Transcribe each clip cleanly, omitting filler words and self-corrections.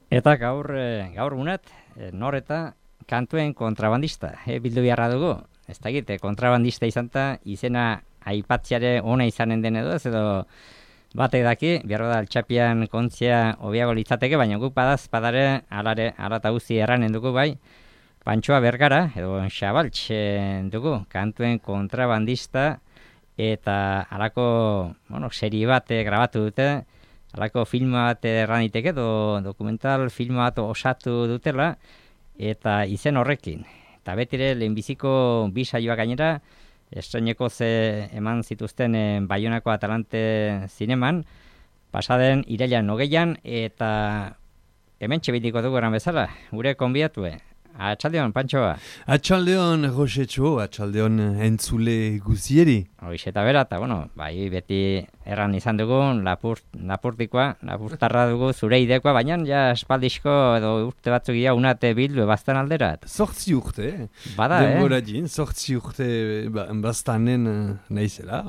Eta gaur gunet, nor eta kantuen kontrabandista, bildu beharra dugu. Ez dakit, kontrabandista izan eta izena aipatziare ona izanen den edo batek daki, behar da altxapian kontzia hobiago litzateke, baina guk badare alata guzti erranen dugu bai, Pantxoa Bergara, edo Xabaltx dugu, kantuen kontrabandista, eta alako, serie bat grabatu dute, alako filma bat erraniteke, edo dokumental filma bat osatu dutela, eta izen horrekin. Eta betire lehenbiziko bi saioak gainera, estreneko eman zituzten Baionako Atalante zineman, pasaden irailan 20an, eta hemen txebitiko dugu eran bezala, gure konbidatue. Atxaldeon, Pantxoa. Atxaldeon, Rosetxo, atxaldeon entzule guzieri. Hoiz eta bera, eta bai beti erran izan dugu, lapurtarra dugu zure idekoa, baina ja espaldizko edo urte batzuk ia unate bildu bastan alderat. 8 urte, Bada, denbora din, 8 urte bastanen nahizela,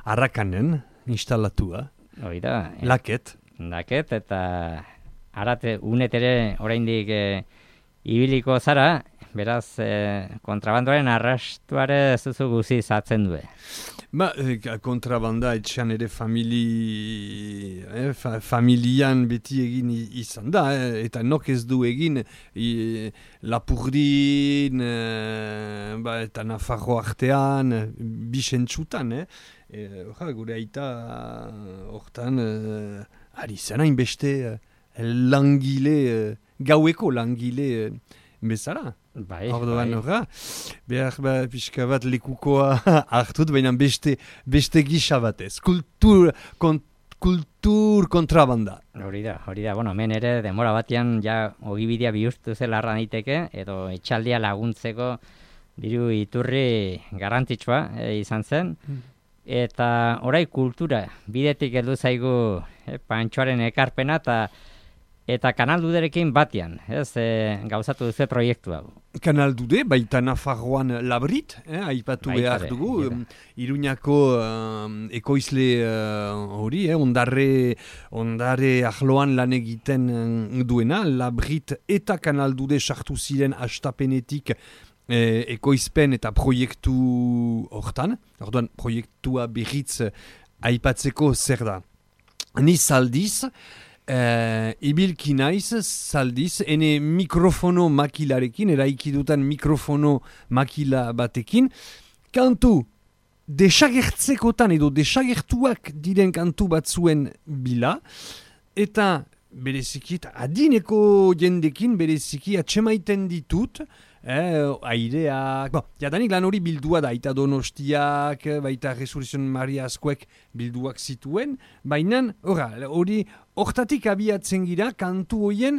arrakanen instalatua. Oida. Laket. Laket, eta arate unetere oraindik ibiliko zara, beraz, kontrabandoaren arrastuare zuzu guzi zatzen du. Kontrabanda etxean ere familian beti egin izan da, eta nok ez du egin Lapurdin, eta Nafarro artean, bisentxutan, gure aita hortan, ari zanain beste langile, gaueko langile bezala. Bai, orduan horra, behar pixka bat lekukoa hartut, baina beste gisa batez. Kultur kontrabanda. Hori da. Hemen ere demora batean ja ogibidea bihurtu zela arra daiteke, edo etxaldia laguntzeko diru iturri garrantzitsua izan zen. Eta orai kultura, bidetik heldu zaigu Pantxoaren ekarpena, eta Kanal Duderekin batean, gauzatu duzu proiektu hau. Kanal Dude, baita Nafarroan Labrit, aipatu behar dugu, Iruñako ekoizle hori, ondare ahloan lan egiten duena, Labrit eta Kanal Dude sartu ziren hastapenetik ekoizpen eta proiektu hortan, orduan proiektua berriz aipatzeko zer da. Ni zaldiz, ibilki naiz zaldiz, ene mikrofono makilarekin, eraikidutan mikrofono makila batekin, kantu desagertzekotan edo desagertuak diren kantu batzuen bila, eta bereziki, adineko jendekin bereziki atxemaiten ditut, aireak, jadanik lan hori bildua da, eta Donostiak, baita Resurrezion Maria Askoek bilduak zituen, baina hori hortatik abiatzen gira kantu horien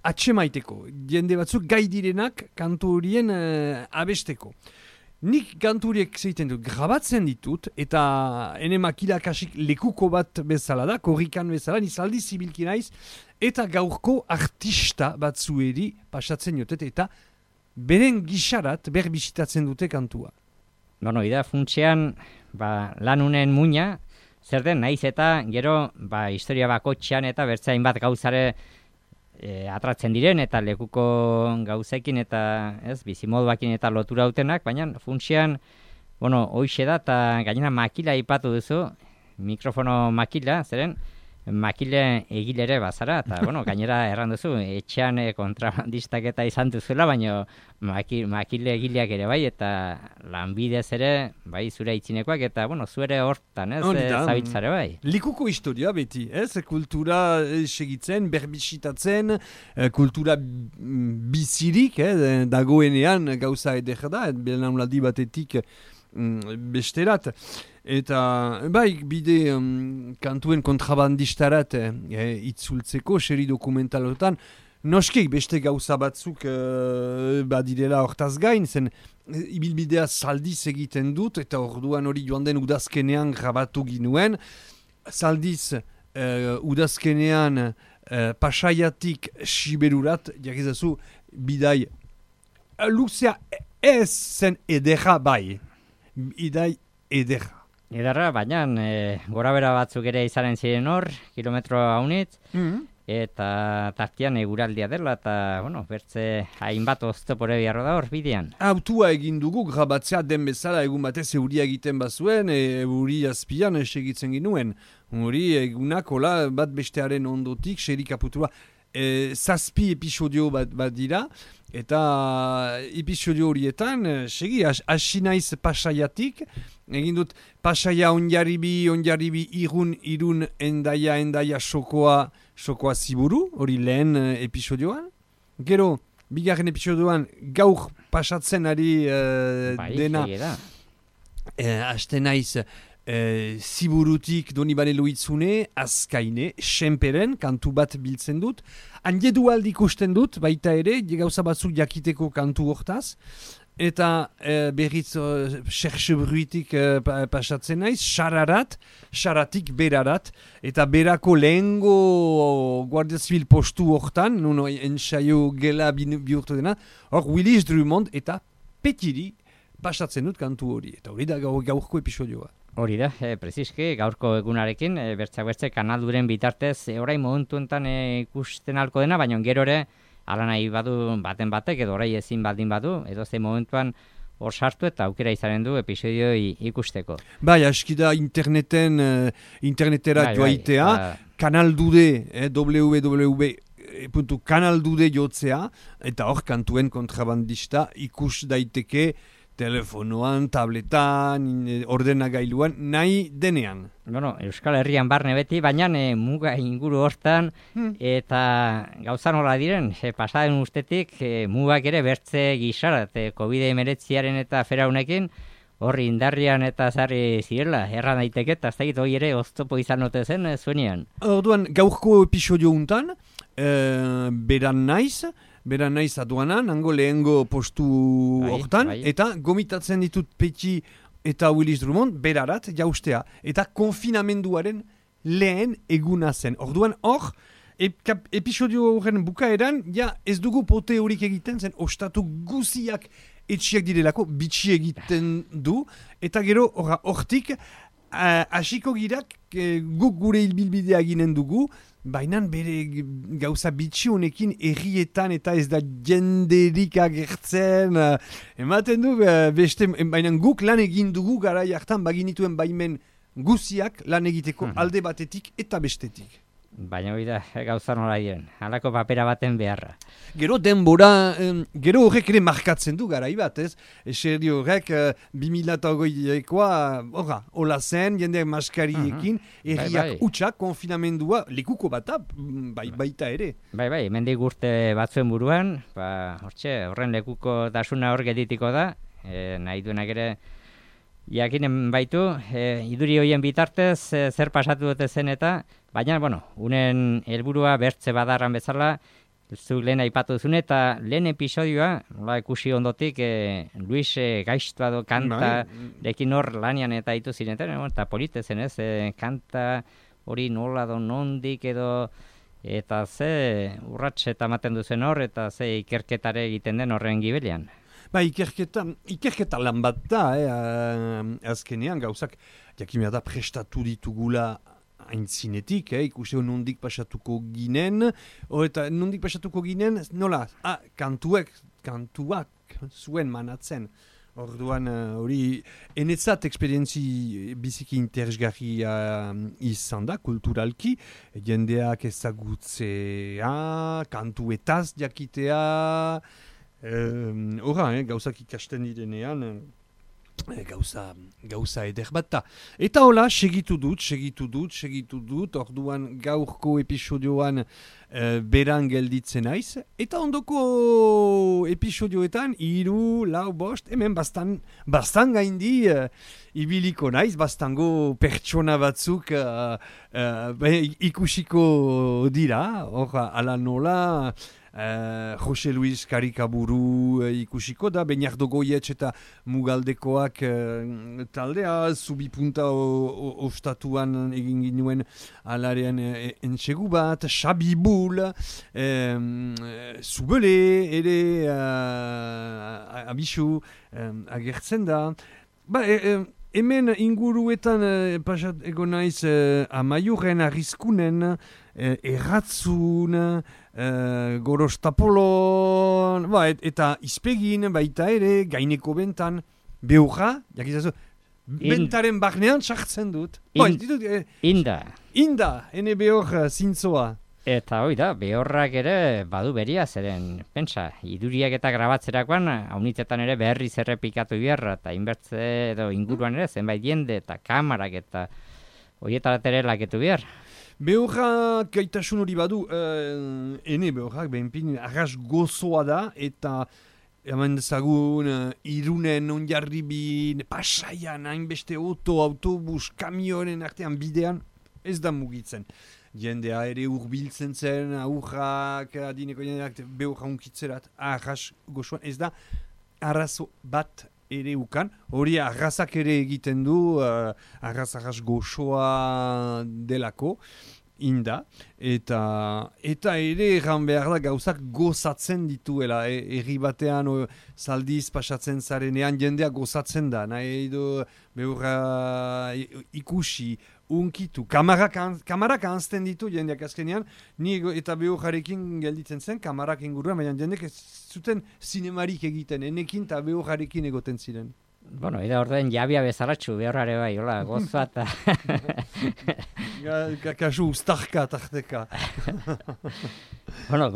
atxemaiteko, jende batzuk gai direnak kantu horien abesteko. Nik kanturiek zeiten dut, grabatzen ditut, eta ene makila kasik lekuko bat bezala da, korrikan bezala, nizaldi zibilki naiz, eta gaurko artista batzueri pasatzen jotet, eta beren gixarat berbisitatzen dute kantua. Ida funtsean, lanunen muina, zer den, naiz eta gero, historia bakotxean eta bertzain bat gauzare atratzen diren, eta lekuko gauzekin eta bizimoduakin eta lotura dutenak, baina funtsean, hoixe da, eta gainera makila ipatu duzu, mikrofono makila, zeren, makile egilere bazara, eta gainera erran duzu, etxean kontrabandistak eta izan duzuela, baina makile egileak ere bai, eta lanbidez ere, bai zure itzinekoak, eta zuere hortan, zabitzare bai. Likuko historia beti, kultura segitzen, berbisitatzen, kultura bizirik, dagoenean gauza eder da, belaunaldi batetik besterat. Eta, bide kantuen kontrabandistarat itzultzeko, seri dokumentalotan, noskik beste gauza batzuk badirela hortaz gain, zen ibilbidea zaldiz egiten dut, eta orduan hori joan den udazkenean grabatu ginuen. Zaldiz udazkenean Pasaiatik Siberurat, jakizazu, bidai luzea ez zen edera bai, bidai edera. Edarra, baina gora bera batzuk ere izanen ziren hor, kilometro haunitz, eta tartian eguraldia dela, eta, bueno, bertze hainbat oztopore beharro da hor bidean. Autua egin dugu, grabatzea den bezala egun batez euria egiten bazuen, euri azpian segitzen ginuen. Hori egunak, hola, bat bestearen ondotik, serik aputua. Zazpi episodio bat dira, eta episodio horietan, segi, hasi naiz Pasaiatik, egin dut Pasaia onjarribi, irun, endaia sokoa ziburu, hori lehen episodioan. Gero, bigarren episodioan gaur pasatzen ari dena, haste naiz ziburutik Donibane Loitzune, Azkaine, Senperen, kantu bat biltzen dut. Handiedualdi ikusten dut, baita ere, gauza batzuk jakiteko kantu hortaz. Eta berriz Cherchebruitik pasatzen naiz, Xaratik berarat, eta berako lehengo Guardia Zibil postu hortan, nuno ensaio gela bihurtu dena, hor Willis Drummond eta Petiri pasatzen dut kantu hori. Eta hori da gaurko episodioa. Hori da, preziski, gaurko egunarekin, bertze kanalduren bitartez, orain momentu enten ikusten halko dena, baina gero ere, ala nahi badu baten batek, edo orai ezin baldin badu, edo ze momentuan hor sartu eta aukera izanen du episodio ikusteko. Bai, askida internetera joaitea, kanaldude, www.kanaldude jotzea, eta hor kantuen kontrabandista ikus daiteke, telefonoan, tabletan, ordenagailuan, nahi denean. Bueno, Euskal Herrian barne beti, baina muga inguru hortan, eta gauza nola diren, pasaden ustetik, mugak ere bertze gisara, COVID-19 eta feraunekin, horri indarrian eta zarri zirela, erran daiteke, eta ez dakit hori ere oztopo izan ote zen zuenean. Orduan, gaurko episodio untan, beran naiz aduanan, hango lehengo postu hortan, eta gomitatzen ditut Peti eta Willis Drummond berarat jaustea. Eta konfinamenduaren lehen eguna zen. Orduan hor, episodio horren bukaeran, ja ez dugu pote horik egiten zen, ostatu guziak etxiak direlako, bitxi egiten du, eta gero hortik, hasiko girak guk gure hilbilbidea ginen dugu, baina bere gauza bitxi honekin errietan eta ez da jenderik agertzen. Ematen du, baina guk lan egin dugu garai hartan baginituen baimen guziak lan egiteko alde batetik eta bestetik. Baina hori da, gauza nola diren, halako papera baten beharra. Gero denbora, gero horrek ere markatzen du garai bat, ez? Eserdi horrek 2008koa, hola zen, jendeak maskariekin, erriak utxak, konfinamendua, lekuko bat, baita ere. Bai, hemendik urte batzuen buruan, horren lekuko dasuna hor geditiko da, nahi duenak ere, jakinen baitu, iduri hoien bitartez zer pasatu dute zen eta, baina, unen helburua bertze badarran bezala, zu lehen aipatu duzune, eta lehen episodioa, ikusi ondotik, Luis gaiztua do kanta, lekin hor lanian eta ditu zinetan, eta polite zen ez, kanta hori nola do nondik edo, eta ze urrats eta ematen duzen hor, eta ze ikerketare egiten den horren gibelian. Ikerketa lan bat da, azkenean gauzak, jakimea da prestatu ditugula aintzinetik, ikusi nondik pasatuko ginen, eta nondik pasatuko ginen, nola, kantuak zuen manatzen. Orduan hori, enetzat eksperientzi biziki interesgarria izan da, kulturalki, jendeak ezagutzea, kantuetaz jakitea, gauzak ikasten direnean, gauza eder bat da. Eta hola, segitu dut, orduan gaurko episodioan beran gelditzen naiz, eta ondoko episodioetan, 3, 4, 5, hemen bastan gaindi ibiliko naiz, bastango pertsona batzuk ikusiko dira, hor, ala nola, Jose Luis Karikaburu ikusiko da, Bernardo Goietx eta Mugaldekoak taldea, Zubipunta ostatuan egin ginuen alarean entsegu bat, Xabi Bul, Zubele ere abisu agertzen da. hemen inguruetan pasat ego naiz Amaiurren, Arrizkunen, Erratzun, Gorostapolon, eta Izpegin baita ere, Gaineko bentan, Beurra, jakizazu, bentaren barnean sartzen dut. Inda. Inda, ene behor zintzoa. Eta hoi da, behorrak ere badu beria, zeren, pentsa, iduriak eta grabatzerakoan, haunitzetan ere berriz errepikatu biharra, eta inbertze edo inguruan ere, zenbait jende eta kamarak eta horietarat ere laketu behar. Behorrak gaitasun hori badu, ene behorrak, behinpin, arras gozoa da, eta eman dezagun, Irunen, Onjarribin, Pasaian, hainbeste autobus, kamionen artean bidean, ez da mugitzen. Jendea ere urbiltzen zen, aurrak, adineko jendeak, behorra unkitzerat, arras gozoan, ez da arrazo bat ere ukan, hori arrazak ere egiten du, arras gozoa delako, inda, eta ere erran behar da gauzak gozatzen dituela, herri batean zaldiz pasatzen zarenean jendea gozatzen da, nahi edo behorra ikusi, unkitu, kamarak anzten ditu jendeak azkenean, ni eta behorrarekin gelditzen zen, kamarak inguruan, baina jendek ez zuten zinemarik egiten, enekin eta behorrarekin egoten ziren. Bueno, eda orden jabia bezaratxu, behorrare bai, hola, gozoa eta... Kasu ustarka tarteka. Bueno,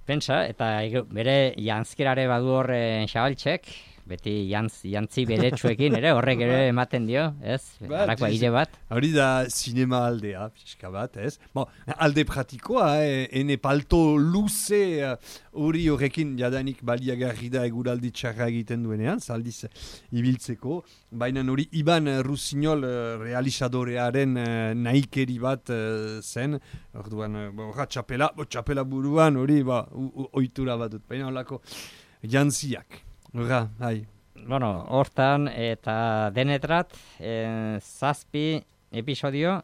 pentsa, eta bere jantzkerare badu horren xabaltxek, beti jantzi beretsuekin ere, horrek ere ematen dio, ez? Harako aire bat. Hori da sinema aldea, pixka bat, ez? Alde pratikoa, ene palto luze hori horrekin jadanik baliagarri da eguraldi txarra egiten duenean, zaldiz ibiltzeko, baina hori Iban Rusiñol realizadorearen nahikeri bat zen, orduan, txapela buruan hori, ohitura bat dut, baina holako jantziak. Bueno, hortan eta denetrat zazpi episodio,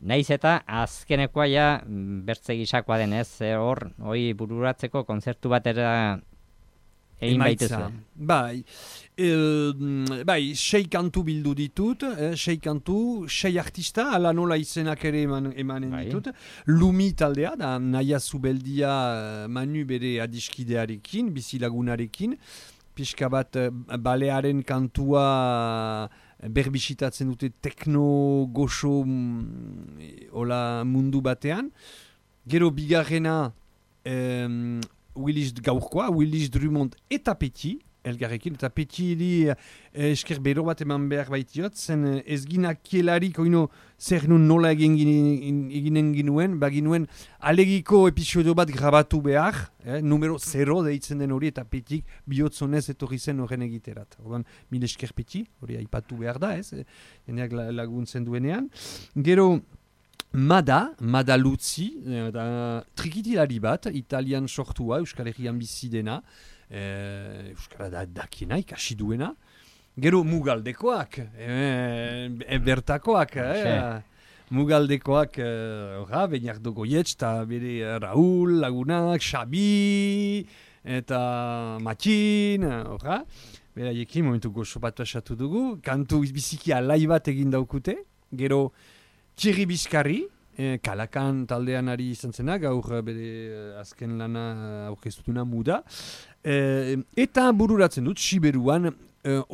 naiz eta azkenekoa ja bertze gisakoa denez, hori bururatzeko kontzertu batera egin baituzu. Bai, 6 kantu bildu ditut, 6 kantu, 6 artista, ala nola izenak ere emanen ditut. Lumi taldea, da Naia Zubeldia Manu bere adiskidearekin, bizilagunarekin, pixka bat balearen kantua berbisitatzen dute tekno goxo mundu batean. Gero bigarrena Willis gaurkoa, Willis Drummond eta Petit, elgarrekin, eta Petit esker bero bat eman behar baitiot, zen ezginak kielarik oino zer nun nola eginen ginuen, baginuen alegiko episodio bat grabatu behar, numero 0 deitzen den hori, eta Petit bihotzonez etorri zen horren egiterat. Orban, mil esker Petit, hori aipatu behar da, jeneak laguntzen duenean. Gero, Mada Luzzi, trikitilari bat, italian sortua, Euskal Herrian bizi dena, Euskara dakiena, ikasi duena. Gero Mugaldekoak, bertakoak, Mugaldekoak, Beniardo Goietz, eta bere Raul, Lagunak, Xabi, eta Matin, beraiekin momentu goxo bat asatu dugu, kantu biziki alai bat egin daukute, gero Thierry Bizkarri, Kalakan taldean ari izan zena, gaur bere azken lana aurkeztuna muda. Eta bururatzen dut, Siberuan,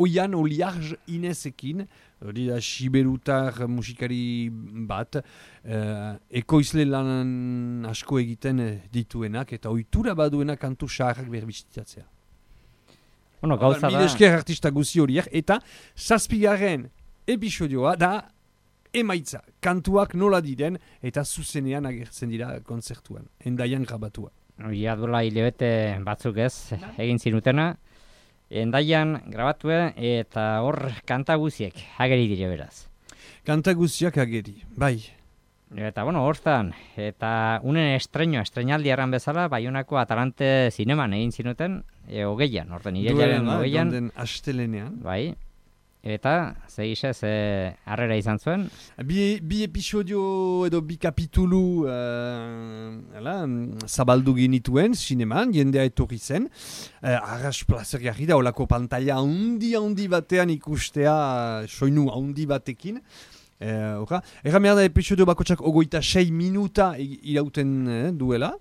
Oian Oliarj Inezekin, hori da Siberutar musikari bat, ekoizle lan asko egiten dituenak, eta ohitura baduenak kantu saharrak berbizitatzea. Bueno, gauza da... Mil esker artista guzi horiek, eta 7. episodioa da emaitza, kantuak nola diren eta zuzenean agertzen dira kontzertuan, Endaian grabatua. Ja, dola hilabete batzuk ez, egin zinutena, Endaian grabatue eta hor kanta guziek ageri dire beraz. Kanta guziak ageri, bai. Eta bueno, hortan, eta unen estrenaldi erran bezala, Baionako Atalante zineman egin zinuten, hogeian, horten irailaren hogeian. Duelen astelenean. Bai. Eta, zegisez, harrera izan zuen? Bi episodio edo bi kapitulu zabaldu genituen, zineman, jendea etorri zen. Arras plazer jarri da, olako pantalla handi batean ikustea, soinu handi batekin. Erra behar da episodio bakotxak 26 minuta irauten duela.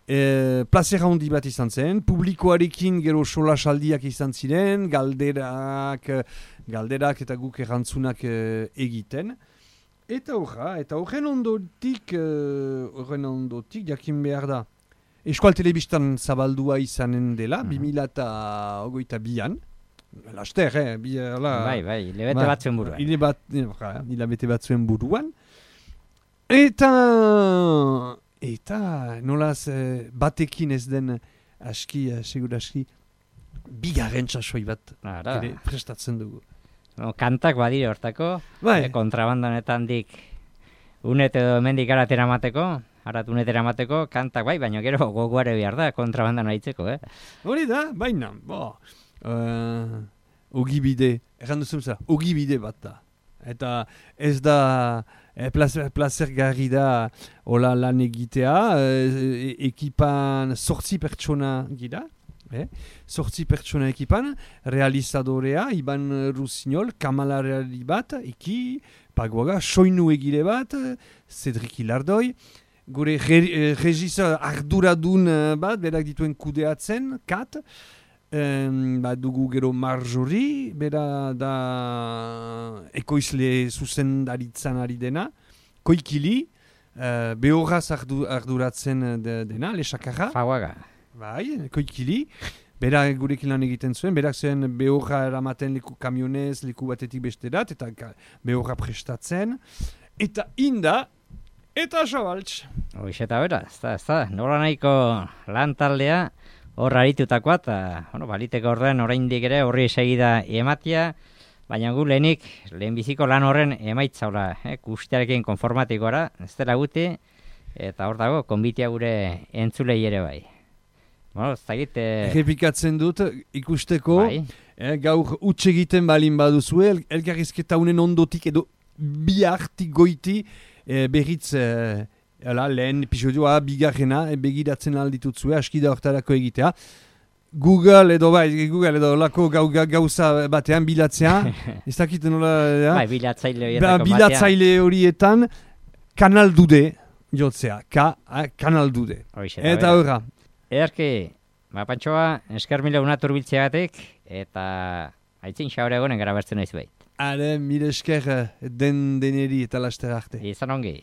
Plazer handi bat izan zen, publikoarekin gero solasaldiak izan ziren, galderak eta guk errantzunak egiten. Eta horren ondotik jakin behar da. Eskual Telebistan zabaldua izanen dela, 2022an. Laster, Bai, hilabete batzuen buruan. Hilabete batzuen buruan. Eta nolaz batekin ez den segur aski, bigarren txasoi bat prestatzen dugu. Kantak badire hortako, kontrabandanetan dik unet edo hemendik aratera mateko, kantak bai, baina gero gogoare behar da kontrabandan haitzeko, Hori da, baina, ogibide, errandu zumza, ogibide bat da. Eta ez da plazer garri da hola lan egitea, ekipan 8 pertsona gira, 8 pertsona ekipan, realizadorea, Iban Rusiñol, kamalarari bat, pagoaga, soinu egile bat, Cedric Ilardoi, gure regizor arduradun bat, berak dituen kudeatzen, Kat, dugu gero Marjorie, bera da ekoizle zuzendaritzan ari dena, Koikili, behoraz arduratzen dena, Lesakarra. Faguaga. Bai, Koikili, bera gurekin lan egiten zuen, berak zen behorra eramaten leku kamionez, leku batetik besterat, eta behorra prestatzen, eta Inda, eta Zabaltz. Hoiz eta bera, ez da, nola nahiko lan taldea, hor haritutakoa, eta baliteko horren oraindik ere horri segida ematia, baina gu lehenbiziko lan horren emaitzaula, guztiarekin konformatikora, ez dela guti, eta hor dago, konbitia gure entzulei ere bai. Ez dakit... Errepikatzen dut, ikusteko, gaur utxe egiten balin baduzue, elkarrizketa unen ondotik edo bihartik goiti berriz... lehen episodioa, bigarrena, begiratzen alditutzue, aski da hortarako egitea. Google edo lako gauza batean bilatzea, ez dakit nola... bilatzaile horietan, Kanal Dude jotzea, Kanal Dude. Eta horra. Ederki, Pantxoa, esker mila unatur biltzeagatik, eta aitzin xaure egonen gara bertzen naiz behit. Mire esker deneri eta laster arte. Izan ongi.